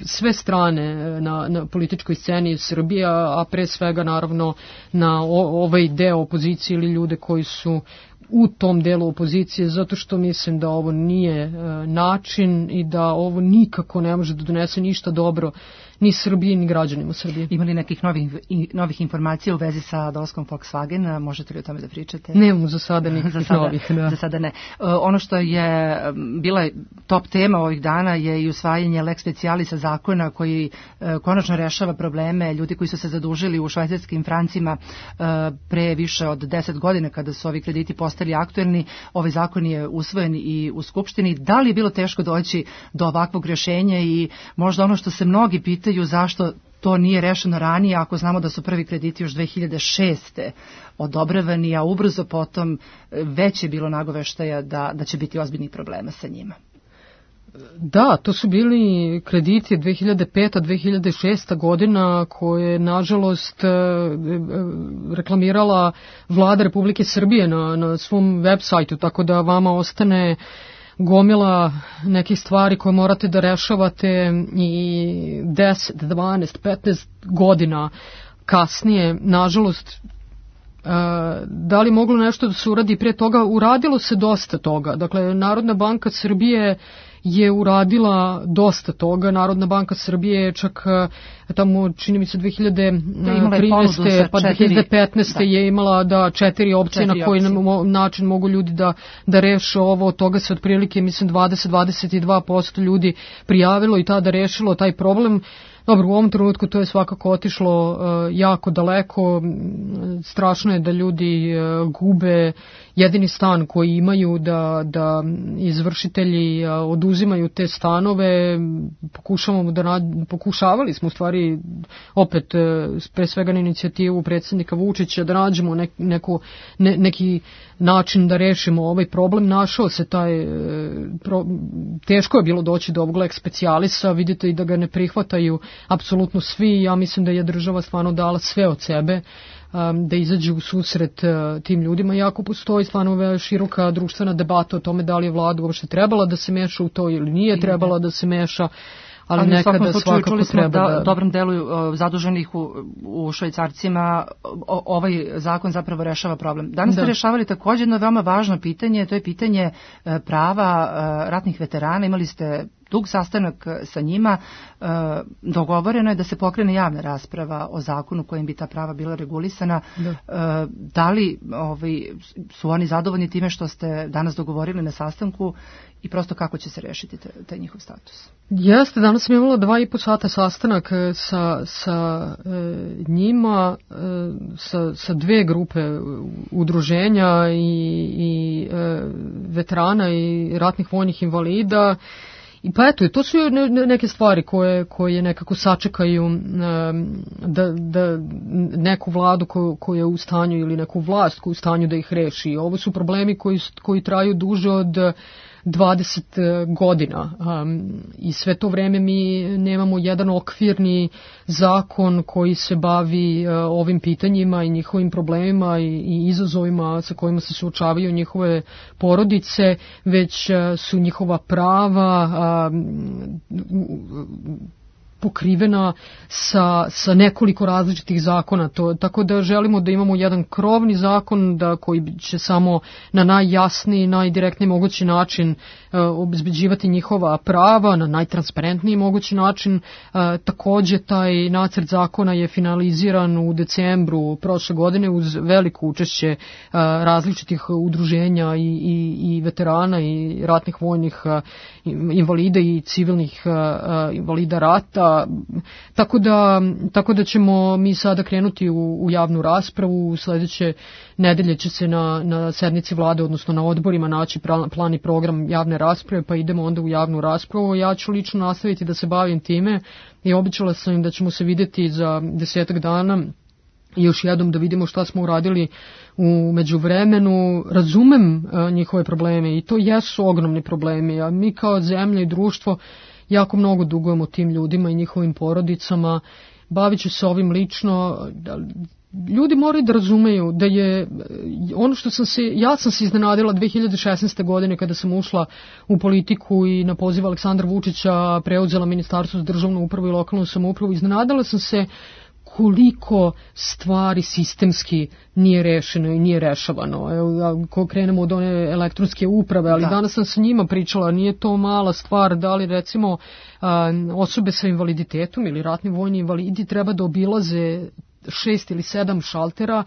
sve strane na, na političkoj sceni Srbije, a pre svega naravno na o, ovaj deo opozicije ili ljude koji su u tom delu opozicije, zato što mislim da ovo nije e, način i da ovo nikako ne može da donese ništa dobro ni Srbiji, ni građanima Srbije. Ima li nekih novih, novih informacija u vezi sa dolaskom Volkswagena? Možete li o tome da pričate? Nemamo za sada nekih za sada, novih. Da. Za sada ne. Uh, ono što je bila top tema ovih dana je i usvajanje lex specialisa zakona koji uh, konačno rešava probleme ljudi koji su se zadužili u švajcarskim francima uh, pre više od deset godina kada su ovi krediti postali aktuelni. Ovaj zakon je usvojen i u Skupštini. Da li je bilo teško doći do ovakvog rješenja i možda ono što se mnogi pitaju zašto to nije rešeno ranije, ako znamo da su prvi krediti još dve hiljade šeste. odobravani, a ubrzo potom već je bilo nagoveštaja da, da će biti ozbiljnih problema sa njima. Da, to su bili krediti dve hiljade peta do dve hiljade šeste. godina koje nažalost reklamirala vlada Republike Srbije na, na svom web sajtu, tako da vama ostane gomila nekih stvari koje morate da rešavate i deset, dvanaest, petnaest godina kasnije. Nažalost, da li moglo nešto da se uradi prije toga? Uradilo se dosta toga. Dakle, Narodna banka Srbije je uradila dosta toga. Narodna banka Srbije je čak tamo, čini mi se, dve hiljade trinaeste pa dve hiljade petnaeste da. je imala da četiri opcije četiri na koji opcije. način mogu ljudi da, da reše ovo. Od toga se otprilike, mislim, dvadeset do dvadeset dva posto ljudi prijavilo i tada rešilo taj problem. Dobro, u ovom trenutku to je svakako otišlo uh, jako daleko. Strašno je da ljudi uh, gube jedini stan koji imaju, da, da izvršitelji uh, oduzimaju te stanove. Pokušavamo da nađ- pokušavali smo u stvari opet uh, pre svega na inicijativu predsjednika Vučića da nađemo nek, neko, ne, neki način da rešimo ovaj problem. Našao se taj uh, pro, teško je bilo doći do ovog lex specialisa. Vidite i da ga ne prihvataju apsolutno svi. Ja mislim da je država stvarno dala sve od sebe um, da izađe u susret uh, tim ljudima. Iako postoji stvarno široka društvena debata o tome da li je vlada uopšte trebala da se meša u to ili nije trebala da se meša, ali, ali nekada svakako čuli smo treba da... da dobrom delu uh, zaduženih u, u Švajcarcima o, ovaj zakon zapravo rešava problem. Danas da. ste rešavali također jedno veoma važno pitanje, to je pitanje uh, prava uh, ratnih veterana. Imali ste dug sastanak sa njima, e, dogovoreno je da se pokrene javna rasprava o zakonu kojim bi ta prava bila regulisana. Da, e, da li ovaj, su oni zadovoljni time što ste danas dogovorili na sastanku i prosto kako će se rešiti taj njihov status? Jeste, danas sam imala dva i po sata sastanak sa, sa e, njima, e, sa, sa dve grupe udruženja i, i e, veterana i ratnih vojnih invalida. I pa eto, to su neke stvari koje, koje nekako sačekaju da, da neku vladu koju, koju je u stanju ili neku vlast koju je u stanju da ih reši. Ovo su problemi koji, koji traju duže od dvadeset godina um, i sve to vreme mi nemamo jedan okvirni zakon koji se bavi uh, ovim pitanjima i njihovim problemima i, i izazovima sa kojima se suočavaju njihove porodice, već uh, su njihova prava um, pokrivena sa, sa nekoliko različitih zakona. To, tako da želimo da imamo jedan krovni zakon da, koji će samo na najjasniji, najdirektniji mogući način uh, obezbeđivati njihova prava, na najtransparentniji mogući način. Uh, takođe, taj nacrt zakona je finaliziran u decembru prošle godine uz veliko učešće uh, različitih udruženja i, i, i veterana i ratnih vojnih uh, invalida i civilnih uh, uh, invalida rata. Tako da, tako da ćemo mi sada krenuti u, u javnu raspravu. Sledeće nedelje će se na, na sednici vlade, odnosno na odborima, naći plan i program javne rasprave, pa idemo onda u javnu raspravu. Ja ću lično nastaviti da se bavim time i obećala sam im da ćemo se videti za desetak dana i još jednom da vidimo šta smo uradili u međuvremenu. Razumem uh, njihove probleme i to jesu ogromni problemi, a mi kao zemlja i društvo jako mnogo dugujemo tim ljudima i njihovim porodicama. Bavit ću se ovim lično. Ljudi moraju da razumeju da je ono što sam se, ja sam se iznenadila dve hiljade šesnaeste. godine kada sam ušla u politiku i na poziv Aleksandra Vučića preuzela Ministarstvo za državnu upravu i lokalnu samoupravu. Iznenadila sam se koliko stvari sistemski nije rešeno i nije rešavano. Evo, ako krenemo od one elektronske uprave, ali da. Danas sam sa njima pričala, nije to mala stvar, da li recimo a, osobe sa invaliditetom ili ratni vojni invalidi treba da obilaze šest ili sedam šaltera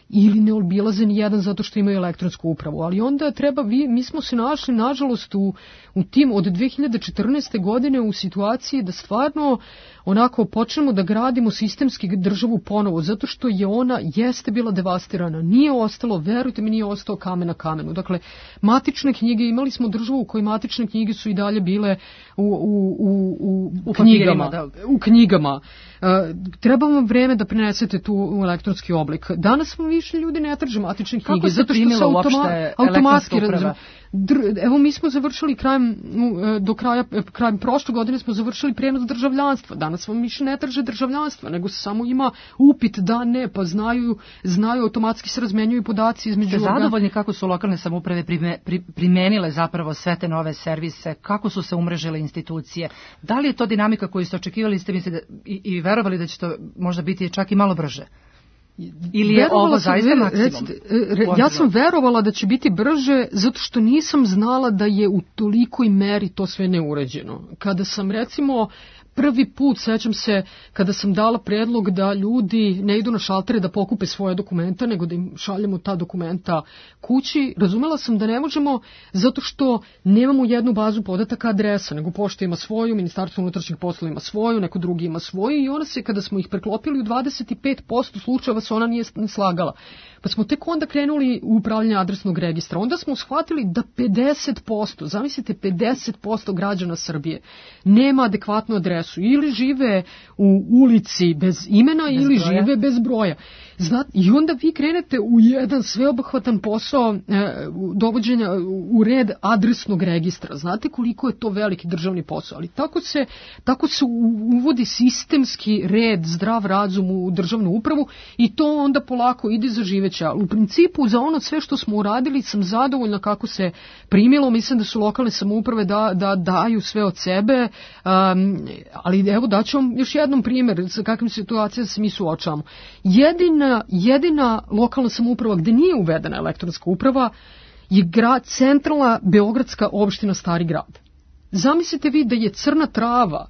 ili ne obilaze ni jedan zato što imaju elektronsku upravu. Ali onda treba, vi, mi smo se našli nažalost u, u tim od dve hiljade četrnaeste. godine u situaciji da stvarno onako počnemo da gradimo sistemski državu ponovo, zato što je ona jeste bila devastirana. Nije ostalo, verujte mi, nije ostao kamen na kamenu. Dakle, matične knjige, imali smo državu u kojoj matične knjige su i dalje bile u, u, u, u, u knjigama. Da. U knjigama. Uh, treba vam vreme da prenesete tu u elektronski oblik. Danas vam više ljudi ne traže matične knjige. Kako se zato što se automa, automatski uprava? Evo, mi smo završili krajem, do kraja, krajem prošle godine smo završili prenos državljanstva. Danas vam više ne traže državljanstva, nego se samo ima upit da ne, pa znaju, znaju automatski se razmenjuju podaci između... Ste zadovoljni kako su lokalne samouprave primenile zapravo sve te nove servise, kako su se umrežile institucije? Da li je to dinamika koju ste očekivali, ste mislili da, i, i verovali da će to možda biti čak i malo brže? Ili je verovala ovo sam, zaista ver, maksimum? Recite, re, ja sam verovala da će biti brže zato što nisam znala da je u tolikoj meri to sve neuređeno. Kada sam recimo prvi put, sećam se, kada sam dala predlog da ljudi ne idu na šaltere da pokupe svoje dokumenta, nego da im šaljemo ta dokumenta kući, razumela sam da ne možemo zato što nemamo jednu bazu podataka adresa, nego pošta ima svoju, Ministarstvo unutrašnjih poslova ima svoju, neko drugi ima svoju i ona se, kada smo ih preklopili u dvadeset pet posto slučajeva se ona nije slagala. Pa smo tek onda krenuli u upravljanje adresnog registra. Onda smo shvatili da pedeset posto, zamislite pedeset posto građana Srbije nema adekvatnu adresu. Ili žive u ulici bez imena bez ili broja. Žive bez broja. Znate, i onda vi krenete u jedan sveobuhvatan posao e, dovođenja u red adresnog registra. Znate koliko je to veliki državni posao, ali tako se, tako se uvodi sistemski red, zdrav razum u državnu upravu i to onda polako ide za živeća. U principu za ono sve što smo uradili sam zadovoljna kako se primilo. Mislim da su lokalne samouprave da, da daju sve od sebe, um, ali evo daću vam još jednom primjer sa kakvim situacijama se mi suočavamo. Jedina Jedina lokalna samouprava gde nije uvedena elektronska uprava je grad, centralna beogradska opština Stari grad. Zamislite vi da je Crna Trava,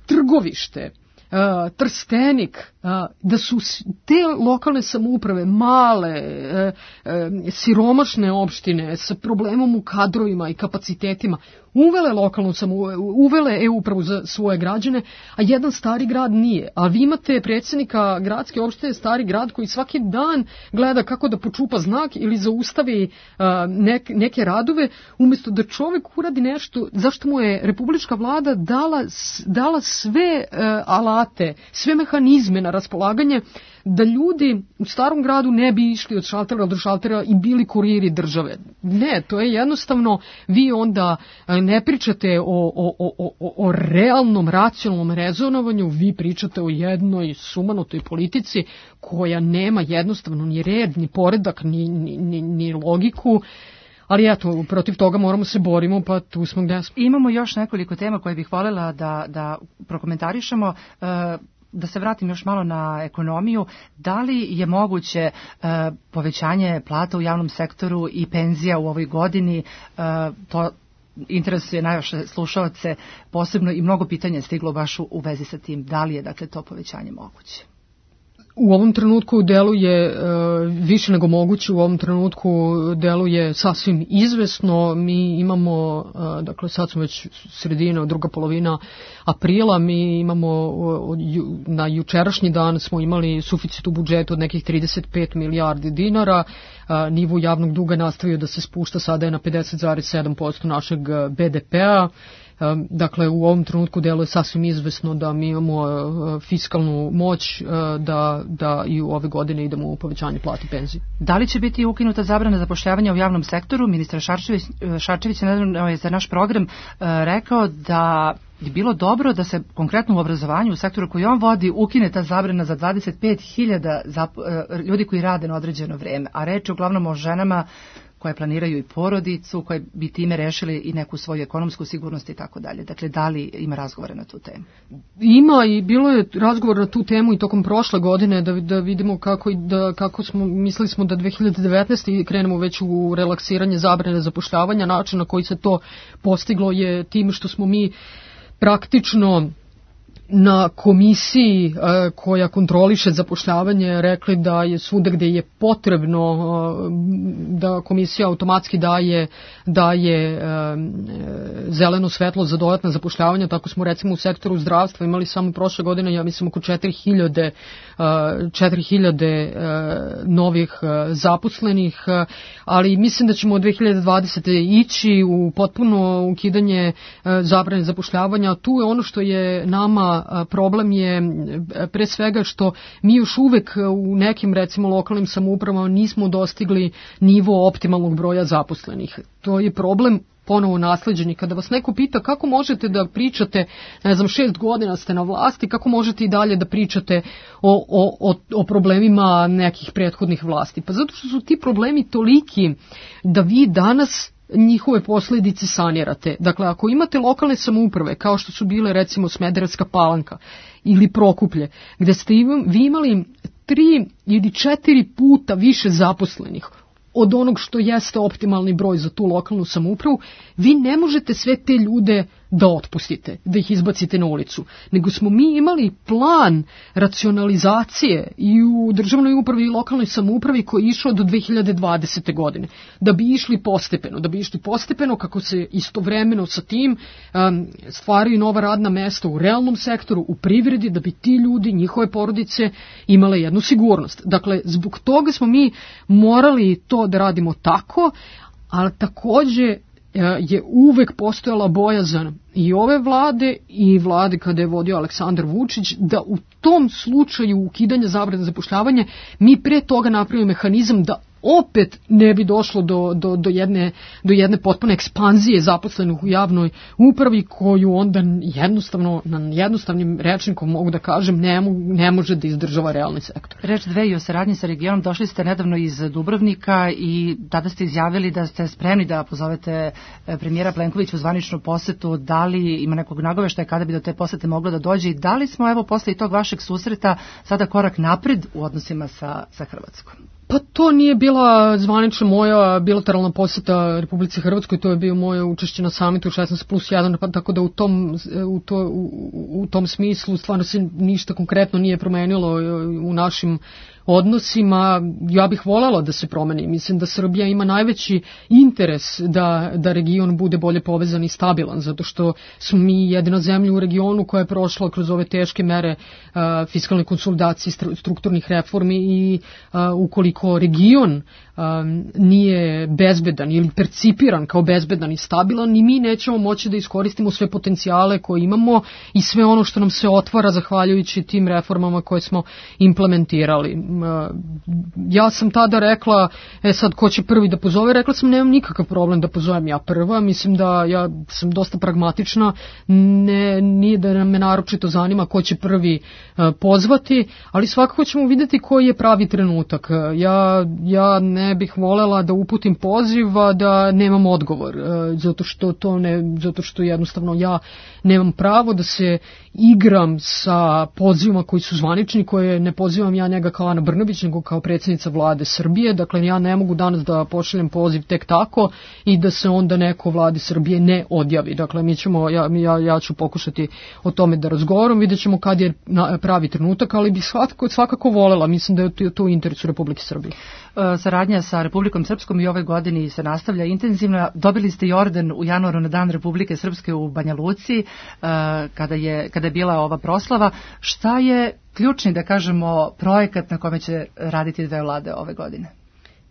Trgovište, Uh, Trstenik, uh, da su te lokalne samouprave male, uh, uh, siromašne opštine sa problemom u kadrovima i kapacitetima uvele lokalnu samoupravu, uvele e-upravu za svoje građane, a jedan Stari grad nije. A vi imate predsjednika gradske opštine Stari grad koji svaki dan gleda kako da počupa znak ili zaustavi uh, nek, neke radove, umjesto da čovjek uradi nešto zašto mu je republička vlada dala, dala sve uh, alate, sve mehanizme na raspolaganje da ljudi u starom gradu ne bi išli od šaltera do šaltera i bili kuriri države. Ne, to je jednostavno, vi onda ne pričate o, o, o, o, o realnom, racionalnom rezonovanju, vi pričate o jednoj sumanutoj politici koja nema jednostavno ni red, ni poredak, ni, ni, ni, ni logiku. ali eto, protiv toga moramo se borimo, pa tu smo gde smo. Imamo još nekoliko tema koje bih voljela da, da prokomentarišemo. Da se vratim još malo na ekonomiju, da li je moguće uh, povećanje plata u javnom sektoru i penzija u ovoj godini, uh, to interesuje najviše slušaoce, posebno i mnogo pitanja je stiglo baš u, u vezi sa tim, da li je dakle to povećanje moguće? U ovom trenutku deluje uh, više nego moguće, u ovom trenutku deluje sasvim izvesno. Mi imamo, uh, dakle sad smo već sredina, druga polovina aprila, mi imamo uh, na jučerašnji dan smo imali suficit u budžetu od nekih trideset pet milijardi dinara, uh, nivo javnog duga nastavio da se spušta, sada je na pedeset zarez sedam posto našeg be de pea. Dakle, u ovom trenutku deluje sasvim izvesno da mi imamo fiskalnu moć da, da i u ove godine idemo u povećanje plata i penzije. Da li će biti ukinuta zabrana zapošljavanja u javnom sektoru? Ministar Šarčević, Šarčević je za naš program rekao da je bilo dobro da se konkretno u obrazovanju, u sektoru koji on vodi, ukine ta zabrana za dvadeset pet hiljada ljudi koji rade na određeno vreme, a reč je uglavnom o ženama koje planiraju i porodicu, koje bi time rešili i neku svoju ekonomsku sigurnost i tako dalje. Dakle, da li ima razgovora na tu temu? Ima i bilo je razgovor na tu temu i tokom prošle godine da, da vidimo kako, da, kako smo, mislili smo da dve hiljade devetnaeste. krenemo već u relaksiranje zabrane zapošljavanja. Način na koji se to postiglo je tim što smo mi praktično na komisiji e, koja kontroliše zapošljavanje rekli da je svuda gde je potrebno e, da komisija automatski daje, daje e, zeleno svetlo za dodatna zapošljavanja. Tako smo recimo u sektoru zdravstva imali samo prošle godine, ja mislim, oko četiri hiljade e, novih e, zaposlenih, e, ali mislim da ćemo od dve hiljade dvadesete. ići u potpuno ukidanje e, zabrane zapošljavanja. Tu je ono što je nama problem je pre svega što mi još uvek u nekim recimo lokalnim samoupravama nismo dostigli nivo optimalnog broja zaposlenih. To je problem ponovo nasleđeni. Kada vas neko pita kako možete da pričate, ne znam, šest godina ste na vlasti, kako možete i dalje da pričate o, o, o problemima nekih prethodnih vlasti? Pa zato što su ti problemi toliki da vi danas njihove posljedice sanirate. Dakle, ako imate lokalne samouprave, kao što su bile recimo Smederevska Palanka ili Prokuplje, gde ste vi imali tri ili četiri puta više zaposlenih od onog što jeste optimalni broj za tu lokalnu samoupravu, vi ne možete sve te ljude da otpustite, da ih izbacite na ulicu. Nego smo mi imali plan racionalizacije i u državnoj upravi i lokalnoj samoupravi koji je išao do dve hiljade dvadesete. godine. Da bi išli postepeno, da bi išli postepeno kako se istovremeno sa tim um, stvaraju nova radna mesta u realnom sektoru, u privredi, da bi ti ljudi, njihove porodice imale jednu sigurnost. Dakle, zbog toga smo mi morali to da radimo tako, ali takođe je uvek postojala bojazan i ove vlade i vlade kada je vodio Aleksandar Vučić da u tom slučaju ukidanja zabrane zapošljavanja mi pre toga napravimo mehanizam da opet ne bi došlo do, do, do, jedne, do jedne potpune ekspanzije zaposlenih u javnoj upravi koju onda jednostavno, na jednostavnim rečnikom mogu da kažem, ne, ne može da izdržava realni sektor. Reč dve i o saradnji sa regionom. Došli ste nedavno iz Dubrovnika i tada ste izjavili da ste spremni da pozovete premijera Plenkovića u zvaničnu posetu. Da li ima nekog nagoveštaja kada bi do te posete moglo da dođe i da li smo evo posle tog vašeg susreta sada korak napred u odnosima sa, sa Hrvatskom? Pa to nije bila zvanična moja bilateralna posjeta Republici Hrvatskoj, to je bio moje učešće na samitu šesnaest plus jedan, pa tako da u tom, u, to, u, u tom smislu stvarno se ništa konkretno nije promenilo u našim odnosima. Ja bih voljela da se promeni. Mislim da Srbija ima najveći interes da, da region bude bolje povezan i stabilan, zato što smo mi jedina zemlja u regionu koja je prošla kroz ove teške mere uh, fiskalne konsolidacije, strukturnih reformi i uh, ukoliko region um, nije bezbedan ili percipiran kao bezbedan i stabilan, ni mi nećemo moći da iskoristimo sve potencijale koje imamo i sve ono što nam se otvara zahvaljujući tim reformama koje smo implementirali. ja sam tada rekla, e sad ko će prvi da pozove, rekla sam nemam nikakav problem da pozovem ja prva, mislim da ja sam dosta pragmatična, ne, nije da me naročito zanima ko će prvi pozvati, ali svakako ćemo vidjeti koji je pravi trenutak. Ja, ja ne bih volela da uputim poziv, a da nemam odgovor, zato što to ne, zato što jednostavno ja nemam pravo da se igram sa pozivima koji su zvanični, koje ne pozivam ja njega kao Ana Brnabić, nego kao predsjednica vlade Srbije. Dakle, ja ne mogu danas da pošaljem poziv tek tako i da se onda neko vladi Srbije ne odjavi. Dakle, mi ćemo, ja, ja, ja ću pokušati o tome da razgovaram, vidjet ćemo kad je pravi trenutak, ali bih svakako, svakako volela, mislim da je to u interesu Republike Srbije. Saradnja sa Republikom Srpskom i ove godini se nastavlja intenzivno. Dobili ste i orden u januaru na Dan Republike Srpske u Banja Luci, kada je, kada je bila ova proslava. Šta je ključni, da kažemo, projekat na kome će raditi dve vlade ove godine?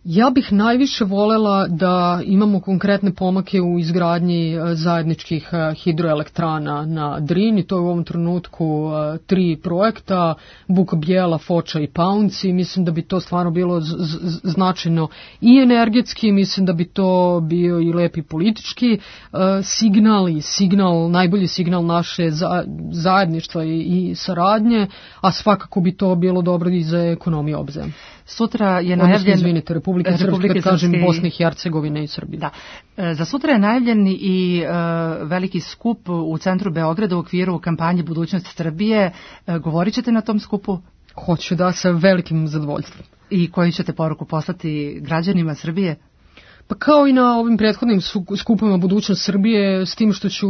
Ja bih najviše volela da imamo konkretne pomake u izgradnji zajedničkih hidroelektrana na Drini. To je u ovom trenutku tri projekta, Buk Bijela, Foča i Paunci. Mislim da bi to stvarno bilo z- z- značajno i energetski, mislim da bi to bio i lepi politički signal i signal, najbolji signal naše za- zajedništva i, i saradnje, a svakako bi to bilo dobro i za ekonomiju obze. Sutra je najavljen... Izvinite, Republike Srpske, kad kažem Bosne i Hercegovine i Srbije. Da. Za sutra je najavljen i uh, veliki skup u centru Beograda u okviru kampanje Budućnost Srbije. Uh, govorit ćete na tom skupu? Hoću, da, sa velikim zadovoljstvom. I koju ćete poruku poslati građanima Srbije? Pa kao i na ovim prethodnim skupovima Budućnost Srbije, s tim što ću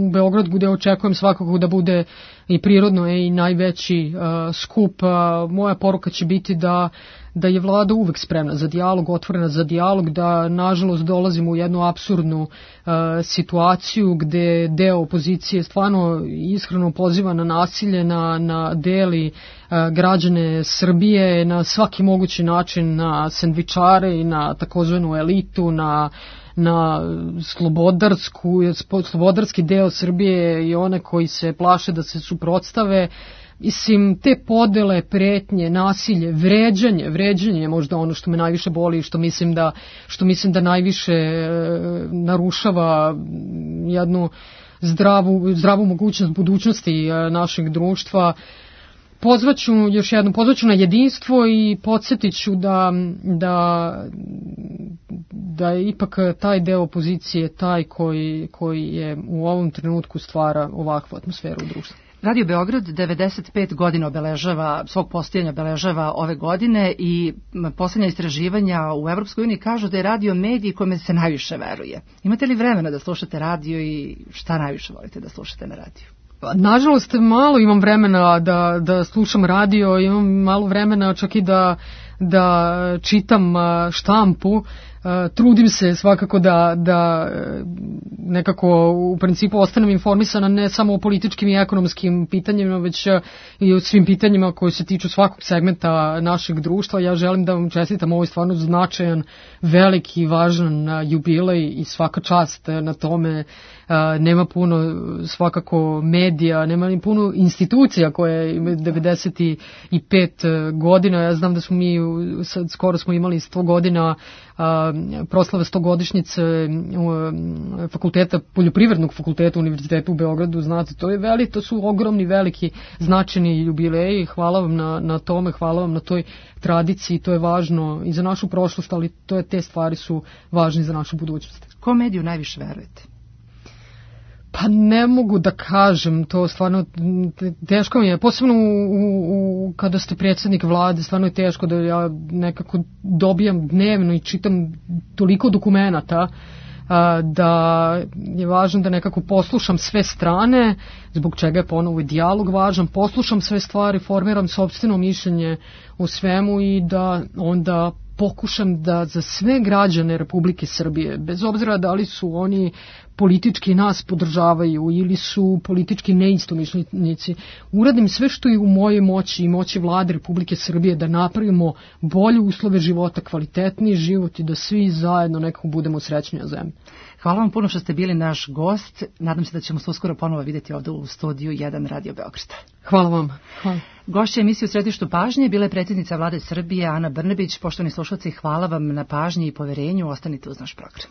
u Beogradu gde očekujem svakako da bude i prirodno i najveći uh, skup, uh, moja poruka će biti da da je vlada uvek spremna za dijalog, otvorena za dijalog, da nažalost dolazimo u jednu apsurdnu uh, situaciju gde deo opozicije stvarno iskreno poziva na nasilje, na, na deli uh, građane Srbije na svaki mogući način, na sendvičare i na takozvanu elitu, na na slobodarsku, slobodarski deo Srbije i one koji se plaše da se suprotstave. Mislim, te podele, pretnje, nasilje, vređanje, vređanje je možda ono što me najviše boli i što mislim da, što mislim da najviše e, narušava jednu zdravu, zdravu mogućnost budućnosti e, našeg društva. Pozvaću još jednom, pozvaću na jedinstvo i podsjetit ću da, da, da je ipak taj deo opozicije taj koji, koji je u ovom trenutku stvara ovakvu atmosferu u društvu. Radio Beograd devedeset pet godina obeležava, svog postojanja obeležava ove godine i posljednja istraživanja u Evropskoj uniji kažu da je radio medij kome se najviše veruje. Imate li vremena da slušate radio i šta najviše volite da slušate na radiju? Nažalost, malo imam vremena da, da slušam radio, imam malo vremena čak i da, da čitam štampu. Trudim se svakako da, da nekako u principu ostanem informisana ne samo o političkim i ekonomskim pitanjima, već i o svim pitanjima koji se tiču svakog segmenta našeg društva. Ja želim da vam čestitam ovaj stvarno značajan, veliki i važan jubilej i svaka čast na tome. Nema puno svakako medija, nema ni puno institucija koje imaju devedeset pet godina. Ja znam da smo mi, sad skoro smo imali sto godina proslave stogodišnjice fakulteta, poljoprivrednog fakulteta Univerziteta u Beogradu, znate, to je veli, to su ogromni, veliki, značajni jubileji. Hvala vam na, na tome, hvala vam na toj tradiciji, to je važno i za našu prošlost, ali to je, te stvari su važne za našu budućnost. Ko mediju najviše verujete? Pa ne mogu da kažem, to stvarno teško mi je, posebno u, u, kada ste predsjednik vlade, stvarno je teško da ja nekako dobijam dnevno i čitam toliko dokumenata da je važno da nekako poslušam sve strane, zbog čega je ponovo i dijalog važan, poslušam sve stvari, formiram sopstveno mišljenje o svemu i da onda pokušam da za sve građane Republike Srbije, bez obzira da li su oni politički nas podržavaju ili su politički neistomišljenici, uradim sve što je u mojoj moći i moći Vlade Republike Srbije da napravimo bolje uslove života, kvalitetniji život i da svi zajedno nekako budemo srećnija zemlja. Hvala vam puno što ste bili naš gost. Nadam se da ćemo se uskoro ponovo vidjeti ovdje u studiju jedan Radio Beograda. Hvala vam. Hvala. Gošća emisije U središtu pažnje bila je predsjednica Vlade Srbije Ana Brnabić. Poštovani slušalci, hvala vam na pažnji i poverenju. Ostanite uz naš program.